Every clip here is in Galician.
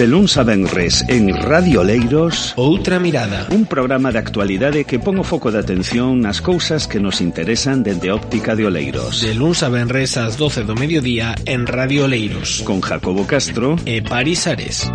De luns a venres en Radio Oleiros, Outra Mirada, un programa de actualidade que pon o foco de atención nas cousas que nos interesan dende óptica de Oleiros. De luns a venres ás 12 do mediodía en Radio Oleiros, con Jacobo Castro e Paris Ares.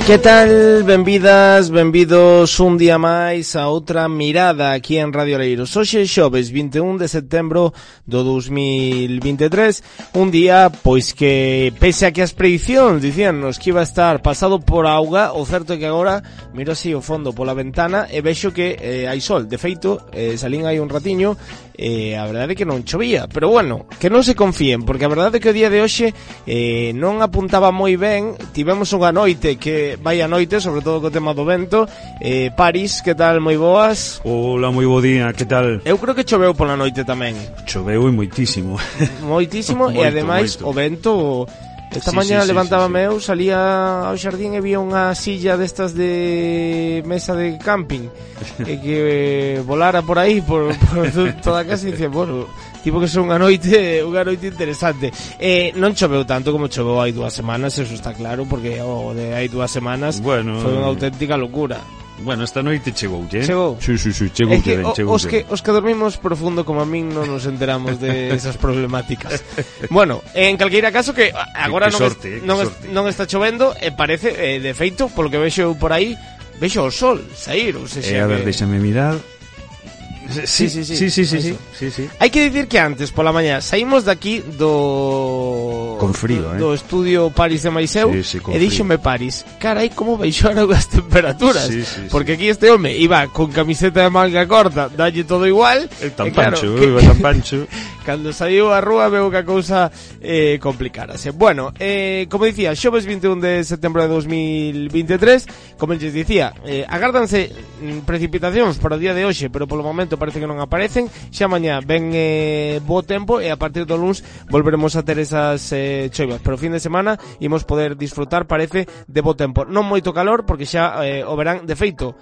Que tal? Benvidas, benvidos un día máis a Outra Mirada aquí en Radio Oleiros. Hoxe xoves 21 de setembro do 2023, un día pois que, pese a que as predicións dicíannos que iba a estar pasado por auga, o certo é que agora miro así o fondo pola ventana e vexo que hai sol. De feito, salín aí un ratiño e a verdade é que non chovía, pero bueno, que non se confíen, porque a verdade é que o día de hoxe non apuntaba moi ben. Tivemos unha noite que vai a noite, sobre todo co tema do vento. Paris, que tal? Moi boas. Hola, moi bo día, que tal? Eu creo que choveu pola noite tamén. Choveu e moitísimo. Moitísimo, e ademais o vento. Esta mañá levantábame eu, salía ao xardín e vía unha silla destas de mesa de camping e que volara por aí por toda a casa e dicía, bueno, tipo que son unha noite interesante. Non choveu tanto como choveu hai 2 semanas, eso está claro, porque o de hai 2 semanas foi unha auténtica locura. Bueno, esta noite chegoulle, Chegou? Sí, chegoulle ben, chegoulle. Os que dormimos profundo como a min non nos enteramos de esas problemáticas. Bueno, en calqueira caso que agora non está chovendo e parece, de feito, polo que vexo por aí, vexo o sol sair, ou seja, a ver, déxame mirar. Sí. Hai que dicir que antes, pola mañá, saímos daqui do... Con frío, do estudio Paris de Maiseu, e díxome Paris, carai, como baixaron as temperaturas, porque aquí este home iba con camiseta de manga corta, dalle todo igual, tan pancho. Cando saiu a rúa veo que a cousa complicárase. Bueno, como dicía, xoves 21 de setembro de 2023, como lles dicía, agárdanse precipitacións para o día de hoxe, pero polo momento parece que non aparecen. Xa mañá ven bo tempo e a partir do luns volveremos a ter esas choivas, pero o fin de semana imos poder disfrutar, parece, de bo tempo. Non moito calor, porque xa o verán, de feito,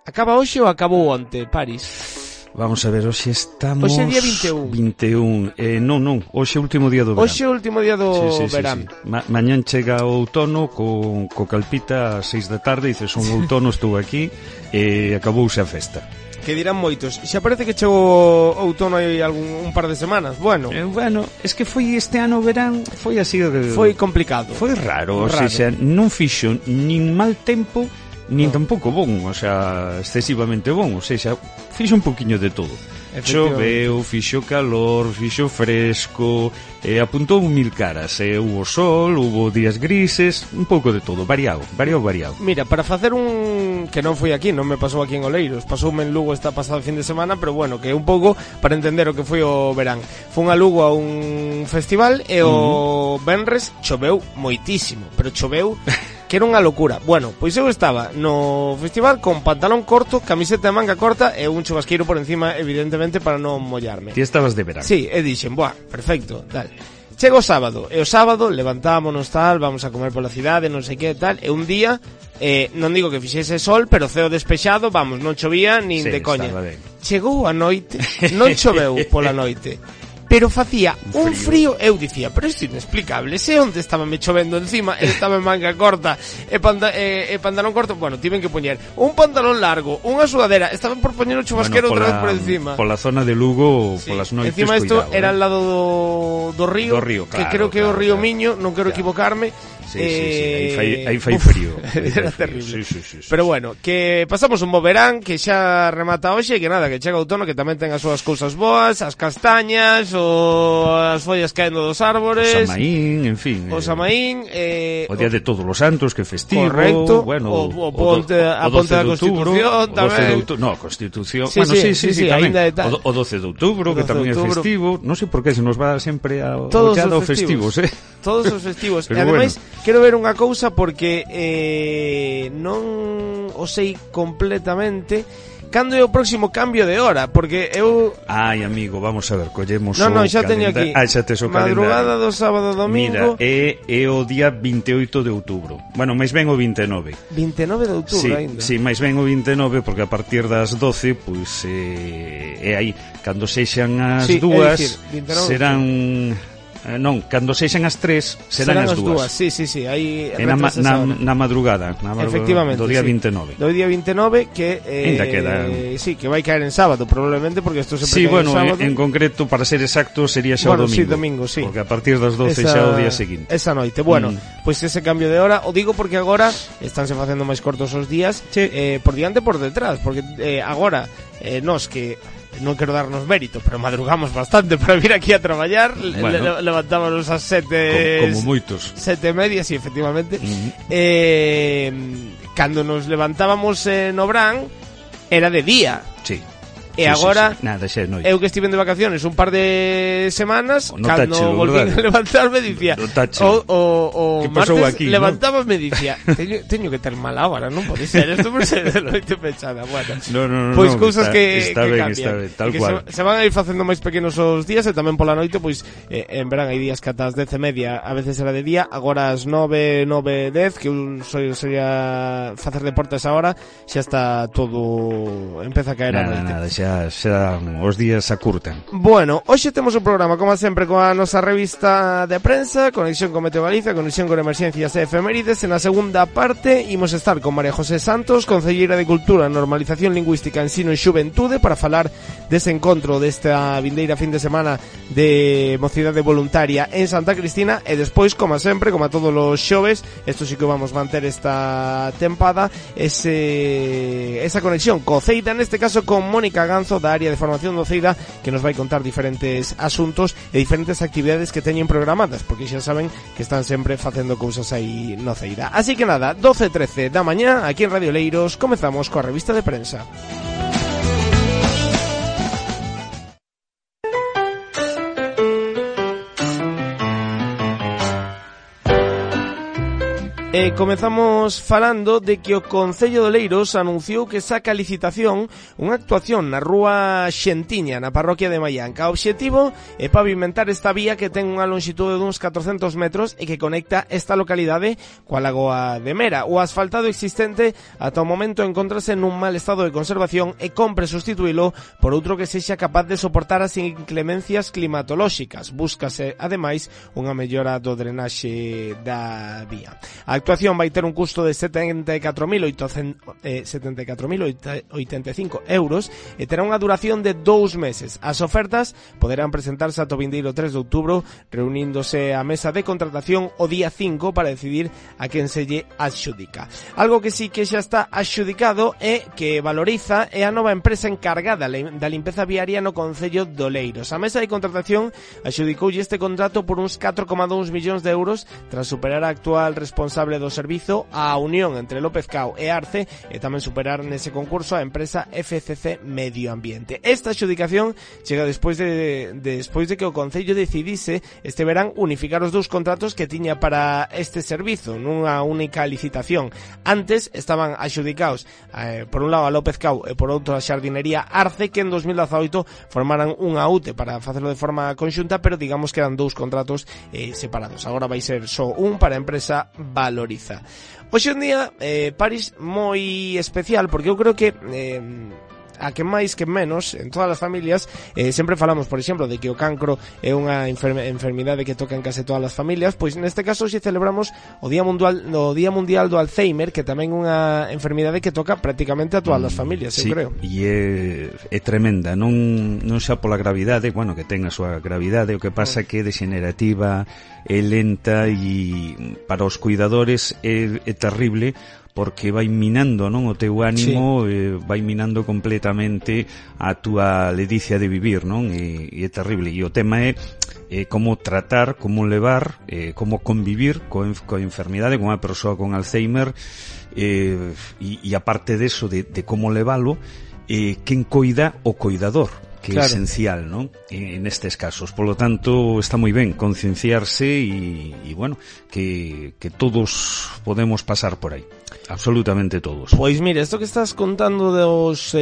acaba hoxe ou acabou onte, Paris? Vamos a ver, hoxe estamos... Hoxe é día 21. Non, hoxe é o último día do verán. Hoxe é o último día do verán. Mañán chega o outono co calpita ás 6 da tarde, dices, un outono estou aquí e acabouse a festa. Que dirán moitos, xa parece que chegou outono hai un par de semanas. Bueno, es que foi este ano o verán, foi así, foi complicado. Foi raro, o sea, non fixo nin mal tempo, nin tampouco bon, o sea, excesivamente bon, o sea, fixo un poquinho de todo. Choveu, fixo calor, fixo fresco, apuntou 1000 caras, hubo sol, hubo días grises, un pouco de todo, variado. Mira, para facer un... que non foi aquí, non me pasou aquí en Oleiros, pasoume en Lugo esta pasada fin de semana, pero bueno, que un pouco para entender o que foi o verán. Fun a Lugo a un festival e o venres choveu moitísimo, pero choveu que era unha locura. Bueno, pois eu estaba no festival con pantalón corto, camiseta de manga corta e un chubasqueiro por encima, evidentemente, para non mollarme. Ti estabas de verán. Sí, e dixen, perfecto, tal. Chego o sábado, e o sábado levantámonos tal, vamos a comer pola cidade, non sei que tal, e un día, non digo que fixese sol, pero ceo despexado, vamos, non chovía nin de coña. Chegou a noite, non choveu pola noite, pero facía un frío, eu dicía, pero isto é inexplicable, se onde estaba me chovendo encima, estaba en manga corta e pantalón corto, bueno, tiven que poñer un pantalón largo, unha sudadera, estaban por poñer o chubasquero outra vez por encima. Pola zona de Lugo, polas noites, encima isto era al lado do río, que creo que é o río Miño, non quero equivocarme. Sí, aí fai frío. Era terrible. Sí. Pero bueno, que pasamos un bo verán, que xa remata hoxe, que nada, que chega outono, que tamén ten as súas cousas boas, as castañas, as follas caendo dos árbores, o Samaín, en fin. O Samaín, o Día de Todos los Santos, que festivo. Correcto. Bueno, a ponte da Constitución tamén. No, Constitución. Sí, tamén. O 12 de outubro, que tamén é festivo. Non sei por que se nos va sempre a os festivos, Todos os festivos. E Pero ademais, quero ver unha cousa porque non o sei completamente. Cando é o próximo cambio de hora? Porque eu... Ai, amigo, vamos a ver, collemos o xa teño aquí. Xa tes o calendario. Madrugada do sábado domingo. Mira, é o día 28 de outubro. Bueno, máis ben o 29. 29 de outubro ainda. Sí, máis ben o 29, porque a partir das 12, pois, é aí. Cando sexan as dúas, serán... Non, cando sexan as 3 serán as 2. Sí, aí na madrugada, efectivamente, do día 29. Do día 29 que sí, que vai caer en sábado probablemente, porque isto sempre cae en sábado. En concreto, para ser exacto, sería xa o domingo. Sí, domingo, sí. Porque a partir das 12 xa o día seguinte. Esa noite. Bueno, pois ese cambio de hora, o digo porque agora estánse facendo máis cortos os días, por diante e por detrás, porque agora nos que non quero darnos mérito, pero madrugamos bastante para vir aquí a traballar. Bueno, levantámonos ás 7 como moitos 7:30, sí, efectivamente. Cando nos levantábamos no Bran era de día. Sí. E agora, nada, eu que estive de vacaciones un par de semanas, cando volvín a levantarme, dicía, o martes aquí, levantábame, dicía, teño que ter mala hora, non pode ser, isto por ser de noite pechada. Bueno, no, pois cousas que cambian, está ben, tal que cual. Se van a ir facendo máis pequenos os días, e tamén pola noite, pois en verán hai días que ata as 10:30 a veces era de día, agora as 9:10, que eu sería facer deportes ahora, xa está todo, empeza a caer a noite. Xa os días acurtan. Bueno, hoxe temos un programa, como sempre, coa nosa revista de prensa, conexión con Meteo Galicia, conexión con emerxencias e efemérides. En a segunda parte imos estar con María José Santos, concelleira de Cultura, Normalización Lingüística, Ensino e Xuventude, para falar dese encontro desta vindeira fin de semana de mocidade voluntaria en Santa Cristina. E despois, como sempre, como a todos os xoves, isto sí que vamos manter esta tempada, esa conexión co Ceida, neste caso con Mónica Ganzo, da área de formación do Ceida, que nos vai contar diferentes asuntos e diferentes actividades que teñen programadas, porque xa saben que están sempre facendo cousas aí no Ceida. Así que nada, 12:13 da mañá, aquí en Radio Leiros, comezamos coa revista de prensa. Comezamos falando de que o Concello de Oleiros anunciou que saca a licitación unha actuación na rúa Xentiña, na parroquia de Maianca. O obxectivo é pavimentar esta vía que ten unha longitude duns 400 metros e que conecta esta localidade coa lagoa de Mera. O asfaltado existente ata o momento encontrase nun mal estado de conservación e compre sustituílo por outro que sexa capaz de soportar as inclemencias climatolóxicas. Búscase, ademais, unha mellora do drenaxe da vía. A actuación vai ter un custo de 74.085 euros e terá unha duración de 2 meses. As ofertas poderán presentarse ata o vindeiro 3 de outubro, reuníndose a mesa de contratación o día 5 para decidir a quen se lle adxudica. Algo que sí que xa está adxudicado e que valoriza é a nova empresa encargada da limpeza viaria no Concello de Oleiros. A mesa de contratación adxudicoulle este contrato por uns 4,2 millóns de euros tras superar a actual responsable do servizo, a unión entre López Cao e Arce, e tamén superar nese concurso a empresa FCC Medio Ambiente. Esta adxudicación chega despois de que o Concello decidise este verán unificar os dous contratos que tiña para este servizo nunha única licitación. Antes estaban adxudicados por un lado a López Cao e por outro a Xardinería Arce, que en 2018 formaran unha UTE para facelo de forma conxunta, pero digamos que eran dous contratos separados. Agora vai ser só un para a empresa Valoriza. Hoxe en día, París moi especial, porque eu creo que a que máis que menos en todas as familias sempre falamos, por exemplo, de que o cancro é unha enfermidade que toca en case todas as familias. Pois neste caso hoxe celebramos o Día Mundial do Alzheimer, que tamén é unha enfermidade que toca prácticamente a todas as familias, eu creo. E é tremenda, non xa pola gravidade, bueno, que ten a súa gravidade, o que pasa que é degenerativa, é lenta e para os cuidadores é terrible, porque vai minando, non, o teu ánimo, vai minando completamente a túa ledicia de vivir, non? E é terrible. E o tema é como tratar, como levar, como convivir coa enfermidade, con unha persoa con Alzheimer, e aparte deso, de como levalo, quen coida o coidador, que é esencial, non? En estes casos. Por lo tanto, está moi ben concienciarse e bueno, que todos podemos pasar por aí. Absolutamente todos. Pois mire, isto que estás contando dos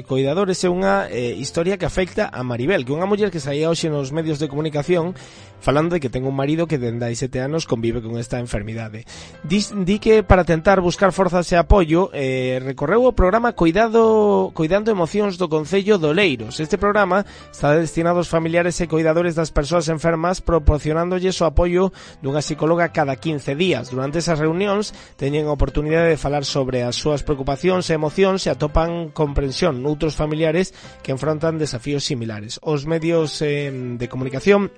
coidadores é unha historia que afecta a Maribel, que é unha muller que saía hoxe nos medios de comunicación falando de que ten un marido que dende hai 7 anos convive con esta enfermidade. Di que para tentar buscar forzas e apoio recorreu o programa Coidando Emocións do Concello de Oleiros. Este programa está destinado aos familiares e coidadores das persoas enfermas, proporcionándolles o apoio dunha psicóloga cada 15 días. Durante esas reunións teñen a oportunidade de falar sobre as súas preocupacións e emocións e atopan comprensión noutros familiares que enfrontan desafíos similares. Os medios de comunicación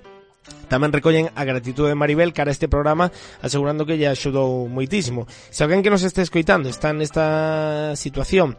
tamén recollen a gratitude de Maribel cara a este programa, asegurando que lle axudou moitísimo. Se alguén que nos este escoitando está nesta situación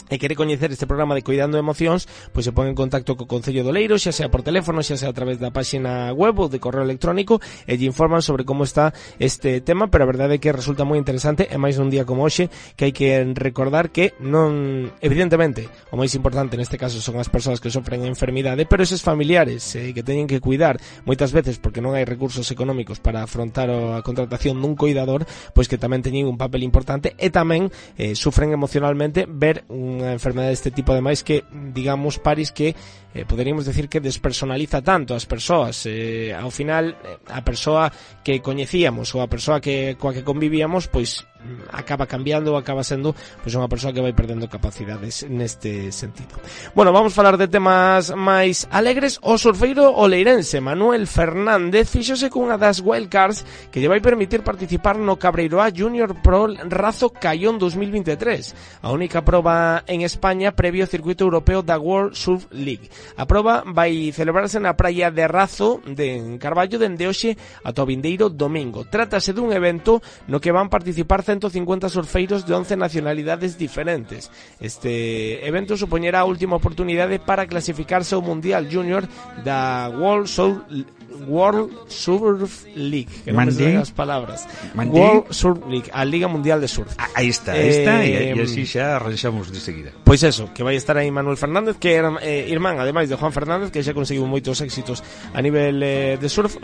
e quere coñecer este programa de Coidando Emocións, pois se pon en contacto co Concello de Oleiros, xa sea por teléfono, xa sea a través da páxina web ou de correo electrónico, e lle informan sobre como está este tema, pero a verdade é que resulta moi interesante, e máis nun día como hoxe, que hai que recordar que non, evidentemente, o máis importante neste caso son as persoas que sofren enfermidade, pero eses familiares que teñen que cuidar moitas veces porque non hai recursos económicos para afrontar a contratación dun coidador, pois que tamén teñen un papel importante e tamén sufren emocionalmente ver unha enfermedade deste tipo, ademais que, digamos, Paris, que poderíamos decir que despersonaliza tanto as persoas. Ao final, a persoa que coñecíamos ou a persoa coa que convivíamos, pois acaba cambiando, acaba sendo pois unha persoa que vai perdendo capacidades neste sentido. Bueno, vamos falar de temas máis alegres. O surfeiro oleirense Manuel Fernández fíxose cunha das wildcards que lle vai permitir participar no Cabreiroa Junior Pro Razo Caión 2023, a única proba en España previo ao circuito europeo da World Surf League. A proba vai celebrarse na praia de Razo de Carballo dende hoxe ata o vindeiro domingo. Trátase dun evento no que van participar 150 surfeiros de 11 nacionalidades diferentes. Este evento supoñerá a última oportunidade para clasificarse ao Mundial Junior da World Surf League, que non me sei as palabras. World Surf League, a Liga Mundial de Surf. Aí está, e así xa arranxamos de seguida. Pois eso, que vai estar aí Manuel Fernández, que era irmán, ademais de Juan Fernández, que xa conseguiu moitos éxitos a nivel de surf.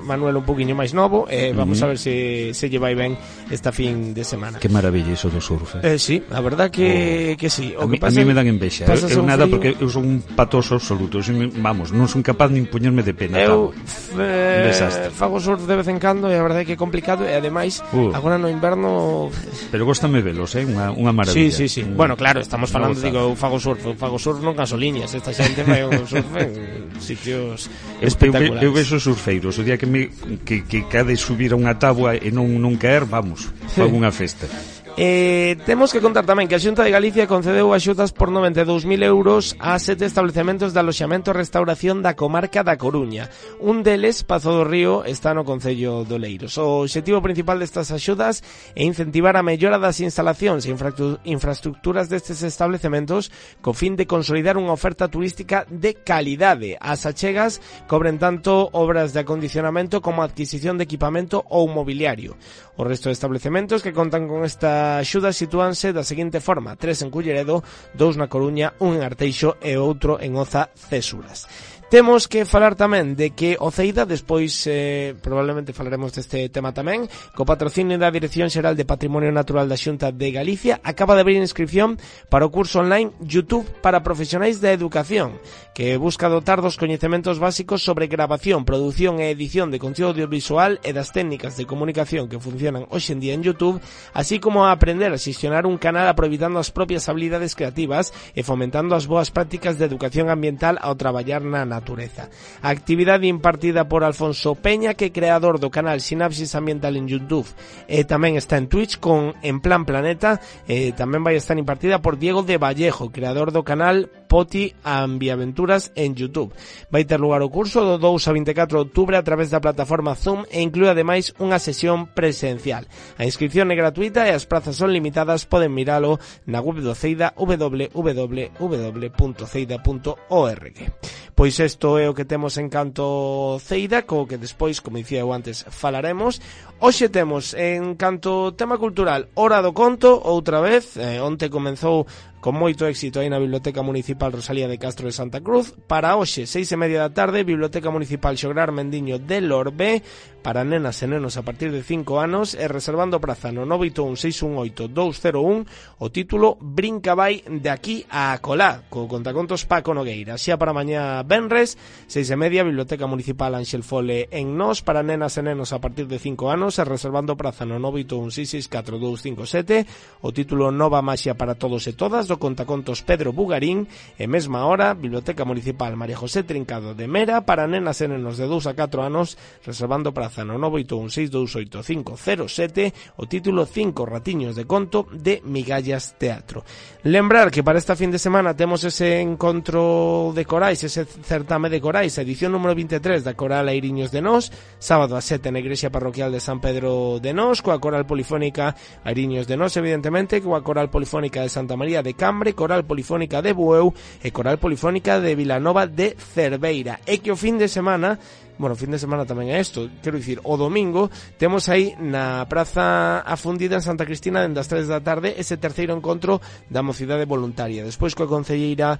Manuel un poquinho máis novo, vamos a ver se lle vai ben esta fin de semana. Que maravilla iso do surf. Sí, a verdad que sí. O que pasa, a mí me dan envexa. Eu nada, porque eu son un patoso absoluto. Vamos, non son capaz nin poñerme de pena. Eu fago surf de vez en cando e a verdade é que é complicado, e ademais agora no inverno. Pero góstame velos, unha maravilla. Sí. Bueno, claro, estamos falando, digo, eu fago surf non gasoliñas. Esta xente vai ao surf en sitios espectaculares. Eu vexo surfeiros, o día que cade subir a unha táboa e non caer, vamos, fago unha festa. Temos que contar tamén que a Xunta de Galicia concedeu axudas por 92.000 euros a 7 establecementos de aloxamento e restauración da comarca da Coruña. Un deles, Pazo do Río, está no Concello de Oleiros. O obxectivo principal destas axudas é incentivar a mellora das instalacións e infraestructuras destes establecementos co fin de consolidar unha oferta turística de calidade. As achegas cobren tanto obras de acondicionamento como adquisición de equipamento ou mobiliario. O resto de establecementos que contan con esta axuda sitúanse da seguinte forma: 3 en Culleredo, 2 na Coruña, 1 en Arteixo e outro en Oza Cesuras. Temos que falar tamén de que o CEIDA, despois probablemente falaremos deste tema tamén, co patrocinio da Dirección Xeral de Patrimonio Natural da Xunta de Galicia, acaba de abrir inscripción para o curso online YouTube para profesionais da educación, que busca dotar dos coñecementos básicos sobre grabación, produción e edición de contido audiovisual e das técnicas de comunicación que funcionan hoxe en día en YouTube, así como a aprender a xestionar un canal aproveitando as propias habilidades creativas e fomentando as boas prácticas de educación ambiental ao traballar na natureza. A actividade impartida por Alfonso Peña, que é creador do canal Sinapsis Ambiental en YouTube, e tamén está en Twitch con En Plan Planeta, tamén vai estar impartida por Diego de Vallejo, creador do canal Poti Ambiaventuras en YouTube. Vai ter lugar o curso do 2 a 24 de outubro a través da plataforma Zoom e inclúe ademais unha sesión presencial. A inscripción é gratuita e as prazas son limitadas. Poden miralo na web do CEIDA, www.ceida.org. Pois isto é o que temos en canto CEIDA, co que despois, como dicía eu antes, falaremos. Hoxe temos en canto tema cultural Hora do Conto, outra vez. Onte comezou con moito éxito aí na Biblioteca Municipal Rosalía de Castro de Santa Cruz. Para hoxe, 6:30 da tarde, Biblioteca Municipal Xograr Mendiño de Lorbe, para nenas e nenos a partir de 5 anos, e reservando praza no 981-618-201, o título Brinca vai de aquí a Colá, co contacontos Paco Nogueira. Xa para mañá venres, 6:30, Biblioteca Municipal Ángel Fole en Nos, para nenas e nenos a partir de 5 anos, e reservando praza no 981-664-257, o título Nova Maxia para todos e todas, do contacontos Pedro Bugarín. E mesma hora, Biblioteca Municipal María José Trincado de Mera, para nenas e nenos de 2 a 4 anos, reservando praza no 981-628-507, o título 5 ratiños de conto de Migallas Teatro. Lembrar que para esta fin de semana temos ese encontro de corais, ese certame de corais, edición número 23 da Coral Airiños de Nos, sábado a 7 na Igrexa Parroquial de San Pedro de Nos, coa Coral Polifónica Airiños de Nos, evidentemente, coa Coral Polifónica de Santa María de Cambre, Coral Polifónica de Bueu e Coral Polifónica de Vilanova de Cerveira. E que o fin de semana, bueno, fin de semana tamén é isto, quero dicir, o domingo temos aí na Praza Afundida en Santa Cristina dende as 3 da tarde ese terceiro encontro da mocidade voluntaria. Despois coa concelleira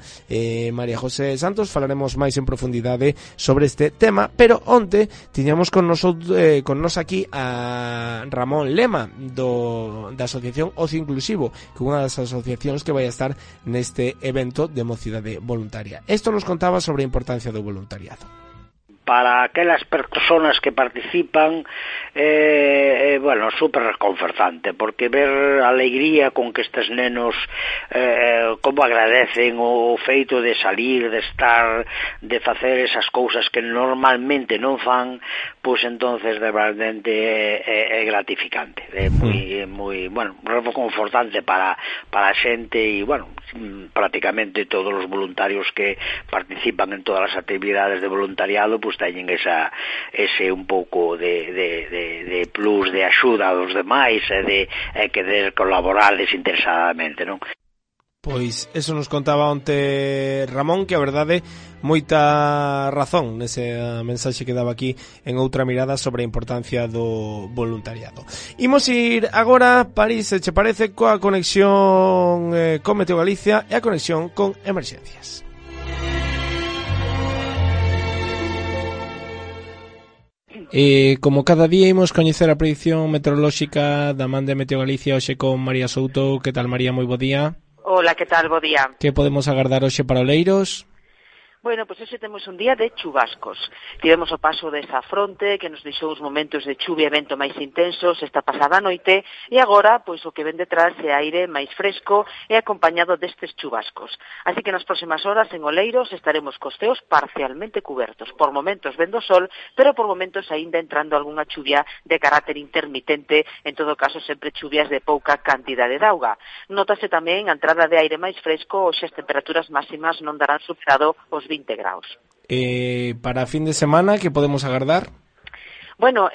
María José Santos falaremos máis en profundidade sobre este tema, pero onte tiñamos con nos aquí a Ramón Lema da Asociación Ocio Inclusivo, que é unha das asociacións que vai a estar neste evento de mocidade voluntaria. Isto nos contaba sobre a importancia do voluntariado. Para aquelas persoas que participan, bueno, super reconfortante, porque ver a alegría con que estes nenos como agradecen o feito de salir, de estar, de facer esas cousas que normalmente non fan, pois entonces de verdade é gratificante, é moi, bueno, reconfortante para a xente e, bueno, prácticamente todos os voluntarios que participan en todas as actividades de voluntariado, pois teñen ese un pouco de plus, de axuda aos demais e de querer colaborar desinteresadamente, non? Pois eso nos contaba onte Ramón, que a verdade moita razón nese mensaxe que daba aquí en Outra Mirada sobre a importancia do voluntariado. Imos ir agora, París, se che parece, coa conexión con Meteo Galicia e a conexión con emerxencias. Como cada día imos coñecer a predicción meteorolóxica da man de Meteo Galicia hoxe con María Souto. Que tal, María? Moi bo día. Hola, que tal? Bo día. Que podemos agardar hoxe para Oleiros? Bueno, pois hoxe temos un día de chubascos. Tivemos o paso desa fronte que nos deixou uns momentos de chuvia e vento máis intensos esta pasada noite e agora, pois o que ven detrás é aire máis fresco e acompañado destes chubascos. Así que nas próximas horas en Oleiros estaremos cos ceos parcialmente cubertos. Por momentos vendo sol, pero por momentos aínda entrando algunha chuvia de carácter intermitente, en todo caso sempre chuvias de pouca cantidade de auga. Nótase tamén a entrada de aire máis fresco, hoxe as temperaturas máximas non darán superado os 20 graus. Para fin de semana, que podemos agardar? Bueno,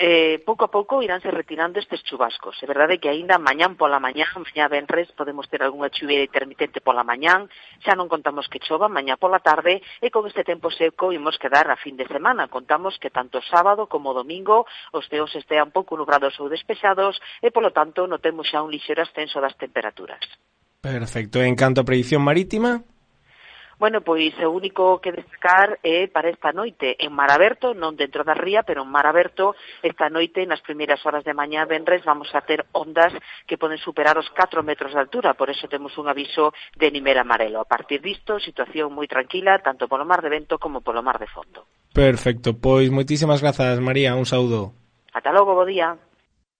pouco a pouco iránse retirando estes chubascos. É verdade que aínda mañá venres, podemos ter algunha chuvia intermitente pola mañán, xa non contamos que chova mañá pola tarde, e con este tempo seco imos quedar a fin de semana. Contamos que tanto sábado como domingo os ceos estean pouco nubrados ou despexados e, polo tanto, notemos xa un lixeiro ascenso das temperaturas. Perfecto. En canto a predicción marítima? Bueno, pois o único que destacar é para esta noite en mar aberto, non dentro da ría, pero en mar aberto, esta noite, nas primeiras horas de mañá venres, vamos a ter ondas que poden superar os 4 metros de altura, por eso temos un aviso de nivel amarelo. A partir disto, situación moi tranquila, tanto polo mar de vento como polo mar de fondo. Perfecto, pois moitísimas grazas, María, un saúdo. Ata logo, bo día.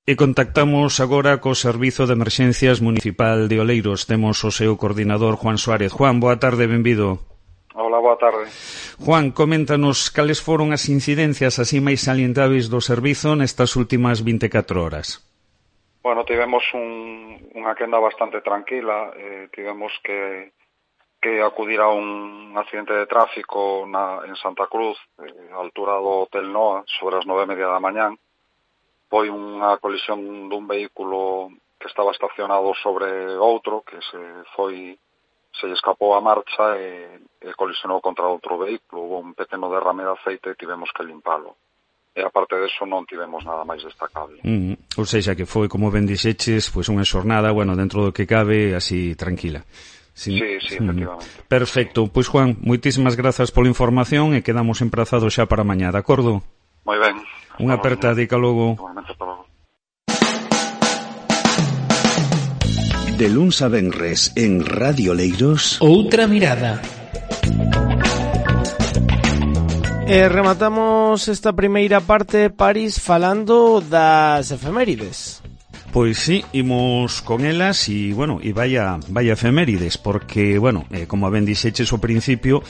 E contactamos agora co Servizo de Emerxencias Municipal de Oleiros. Temos o seu coordinador, Juan Suárez. Juan, boa tarde, benvido. Hola, boa tarde. Juan, coméntanos cales foron as incidencias así máis salientáveis do servizo nestas últimas 24 horas. Bueno, tivemos unha quenda bastante tranquila. Tivemos que acudir a un accidente de tráfico en Santa Cruz, a altura do Hotel Noa, sobre as 9:30 da mañán. Foi unha colisión dun vehículo que estaba estacionado sobre outro, que se lle escapou a marcha e colisionou contra outro vehículo. Hubo un pequeno derrame de aceite e tivemos que limpalo. E aparte deso non tivemos nada máis destacable. Ou seja, que foi, como ben dixeches, pois unha xornada, bueno, dentro do que cabe, así tranquila. Sí, efectivamente. Perfecto. Pois, Juan, moitísimas grazas pola información e quedamos emprazados xa para mañá, de acordo? Moi ben. Unha apertadica logo. Igualmente, hasta logo. De luns a venres en Radio Leiros, Outra mirada. Rematamos esta primeira parte, París, falando das efemérides. Pois sí, imos con elas e, bueno, e vaya efemérides, porque, bueno, como ben dixeches ao principio,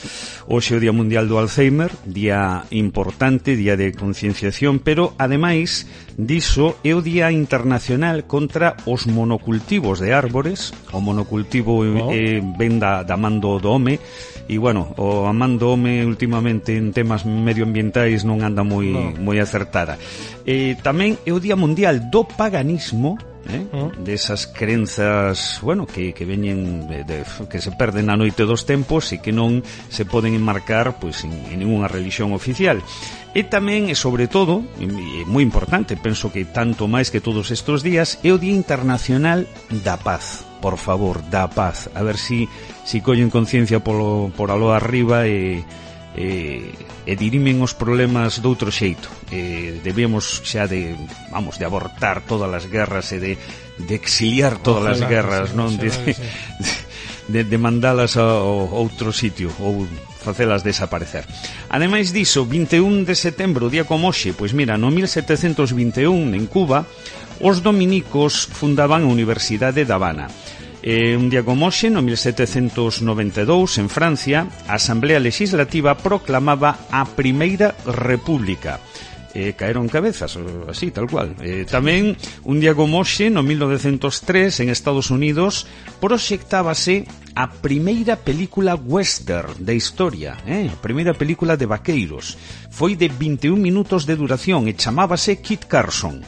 hoxe é o Día Mundial do Alzheimer, día importante, día de concienciación, pero, ademais diso, é o Día Internacional contra os monocultivos de árbores. O monocultivo ven da man do home, e, bueno, o man do home últimamente en temas medioambientais non anda moi acertada. Tamén é o Día Mundial do Paganismo, desas crenzas, bueno, que veñen que se perden na noite dos tempos e que non se poden enmarcar pois en ninguna religión oficial. E tamén, e sobre todo, e moi importante, penso que tanto máis que todos estes días, é o Día Internacional da Paz. Por favor, da paz. A ver si collen conciencia por aló arriba e dirimen os problemas doutro xeito. Debemos xa de abortar todas as guerras e de exiliar todas as guerras, non? De mandalas a outro sitio ou facelas desaparecer. Ademais diso, 21 de setembro, día como hoxe, pois mira, no 1721 en Cuba, os dominicos fundaban a Universidade de Habana. Un día como hoxe, no 1792, en Francia, a Asamblea Legislativa proclamaba a Primeira República. Caeron cabezas, así, tal cual. Tamén, un día como hoxe, no 1903, en Estados Unidos, proxectábase a primeira película western da historia, a primeira película de vaqueiros. Foi de 21 minutos de duración e chamábase Kit Carson.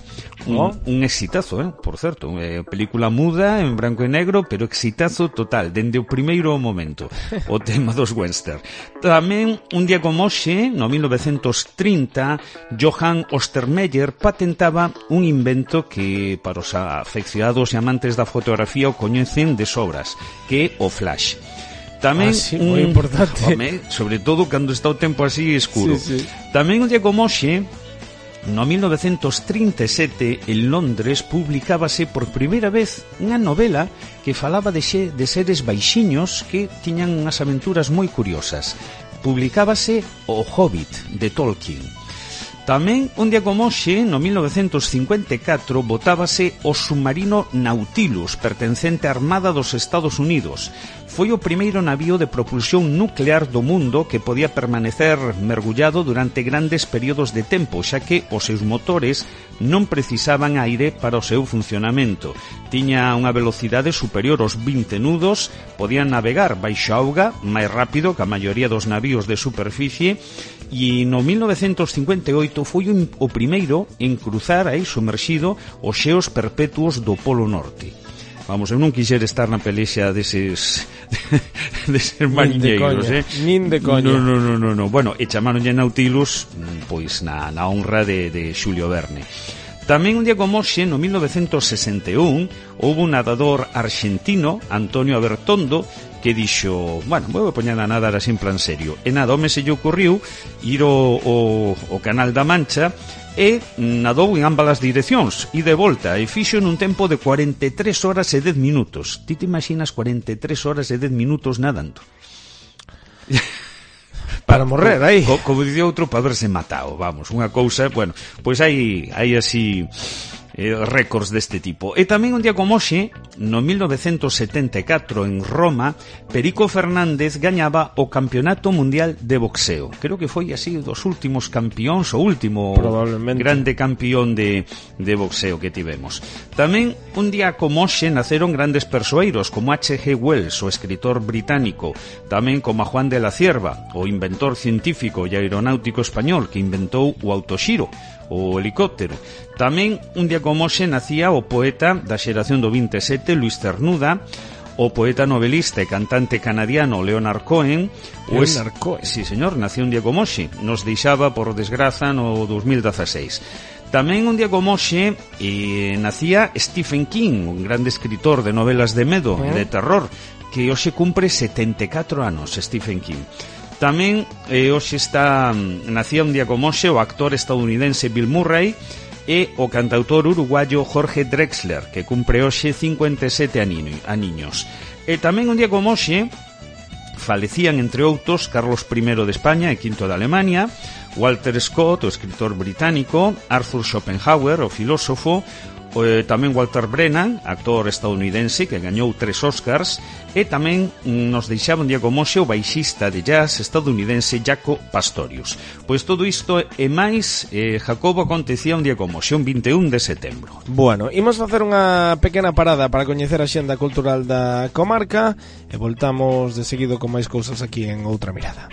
Un exitazo, por certo, película muda en branco e negro, pero exitazo total, dende o primeiro momento, o tema dos western. Tamén, un día como hoxe, no 1930, Johann Ostermeyer patentaba un invento que para os afeccionados e amantes da fotografía o coñecen de sobras, que é o flash. Tamén moi importante. Sobre todo cando está o tempo así escuro. Tamén un día como hoxe, no 1937, en Londres, publicábase por primeira vez unha novela que falaba de seres baixiños que tiñan unhas aventuras moi curiosas. Publicábase O Hobbit, de Tolkien. Tamén, un día como hoxe, no 1954, botábase o submarino Nautilus, pertencente á Armada dos Estados Unidos. Foi o primeiro navío de propulsión nuclear do mundo que podía permanecer mergullado durante grandes períodos de tempo, xa que os seus motores non precisaban aire para o seu funcionamento. Tiña unha velocidade superior aos 20 nudos, podían navegar baixo auga máis rápido que a maioría dos navíos de superficie, e no 1958 foi o primeiro en cruzar aí sumerxido os xeos perpetuos do Polo Norte. Vamos, eu non quixera estar na pelexa deses mariñeiros, Nin de coña. No. Bueno, e chamaronlle Nautilus, pois na honra de Xulio Verne. Tamén un día como hoxe, no 1961, houve un nadador argentino, Antonio Abertondo, que dixo, bueno, vou poñer a nadar así en plan serio. E nada, home se lle ocurriu ir ao Canal da Mancha e nadou en ambas as direccións e de volta, e fixo nun tempo de 43 horas e 10 minutos. Ti te imaginas 43 horas e 10 minutos nadando? Para morrer aí. Como dicía outro, para verse matado, vamos, unha cousa, bueno, pois hai así récords deste tipo. E tamén un día como hoxe, no 1974 en Roma, Perico Fernández gañaba o Campeonato Mundial de Boxeo. Creo que foi así dos últimos campións, o último grande campeón de boxeo que tivemos. Tamén un día como hoxe naceron grandes persoeiros como H.G. Wells, o escritor británico, tamén como a Juan de la Cierva, o inventor científico e aeronáutico español que inventou o autoxiro, o helicóptero. Tamén un día como hoxe nacía o poeta da xeración do 27, Luis Cernuda, o poeta novelista e cantante canadiano Leonard Cohen. Sí, señor, nació un día como hoxe, nos deixaba por desgraza no 2016. Tamén un día como hoxe nacía Stephen King, un grande escritor de novelas de medo e de terror. que hoxe cumpre 74 anos, Stephen King. Tamén hoxe nacía un día como hoxe o actor estadounidense Bill Murray e o cantautor uruguayo Jorge Drexler, que cumpre hoxe 57 aniños. E tamén un día como hoxe falecían, entre outros, Carlos I de España e V de Alemania, Walter Scott, o escritor británico, Arthur Schopenhauer, o filósofo, tamén Walter Brennan, actor estadounidense que gañou 3 Oscars, e tamén nos deixaba un día como hoxe o baixista de jazz estadounidense Jaco Pastorius. Pois todo isto e máis, Jacobo, acontecía un día como hoxe, un 21 de setembro. Bueno, imos facer unha pequena parada para coñecer a xenda cultural da comarca e voltamos de seguido con máis cousas aquí en Outra Mirada.